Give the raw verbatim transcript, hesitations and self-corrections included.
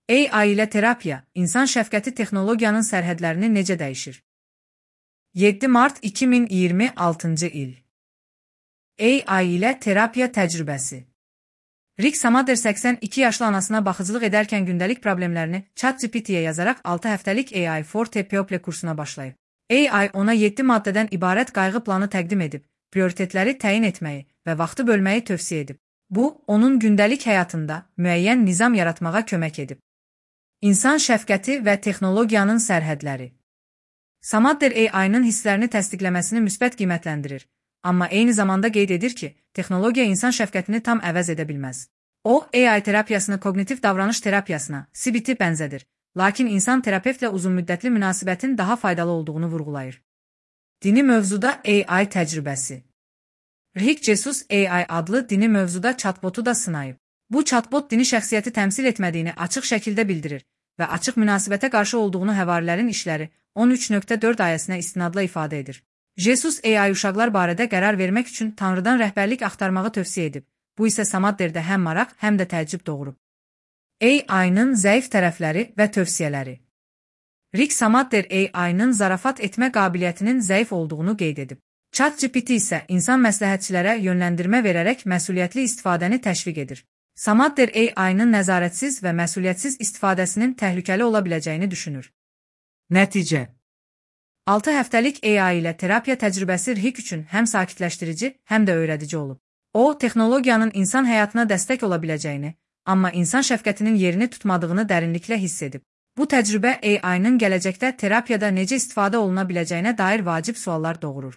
A I ilə terapiya, insan şəfqəti texnologiyanın sərhədlərini necə dəyişir? yeddi mart iki min iyirmi altıncı il. A I ilə terapiya təcrübəsi. Rick Samader səksən iki yaşlı anasına baxıcılıq edərkən gündəlik problemlərini ChatGPT-yə yazaraq altı həftəlik A I for Therapy kursuna başlayıb. A I ona yeddi maddədən ibarət qayğı planı təqdim edib, prioritetləri təyin etməyi və vaxtı bölməyi tövsiyə edib. Bu, onun gündəlik həyatında müəyyən nizam yaratmağa kömək edib. İnsan şəfqəti və texnologiyanın sərhədləri. Samader A I-nın hisslərini təsdiqləməsini müsbət qiymətləndirir, amma eyni zamanda qeyd edir ki, texnologiya insan şəfqətini tam əvəz edə bilməz. O, A I terapiyasını koqnitiv davranış terapiyasına, C B T bənzədir, lakin insan terapevtlə uzunmüddətli münasibətin daha faydalı olduğunu vurğulayır. Dini mövzuda A I təcrübəsi. Rick Jesus A I adlı dini mövzuda chatbotu da sınayıb. Bu chatbot dini şəxsiyyəti təmsil etmədiyini açıq şəkildə bildirir və açıq münasibətə qarşı olduğunu həvarilərin işləri on üç nöqtə dörd ayəsinə istinadla ifadə edir. Jesus A I uşaqlar barədə qərar vermək üçün Tanrıdan rəhbərlik axtarmağı tövsiyə edib. Bu isə Samaderdə həm maraq, həm də təəccüb doğurub. A I-nın zəif tərəfləri və tövsiyələri. Rick Samader A I-nın zarafat etmə qabiliyyətinin zəif olduğunu qeyd edib. ChatGPT isə insan məsləhətçilərə yönləndirmə verərək məsuliyyətli istifadəni təşviq edir. Samader A I-nın nəzarətsiz və məsuliyyətsiz istifadəsinin təhlükəli ola biləcəyini düşünür. Nəticə. altı həftəlik A I ilə terapiya təcrübəsi Rick üçün həm sakitləşdirici, həm də öyrədici olub. O, texnologiyanın insan həyatına dəstək ola biləcəyini, amma insan şəfqətinin yerini tutmadığını dərinliklə hiss edib. Bu təcrübə A I-nın gələcəkdə terapiyada necə istifadə oluna biləcəyinə dair vacib suallar doğurur.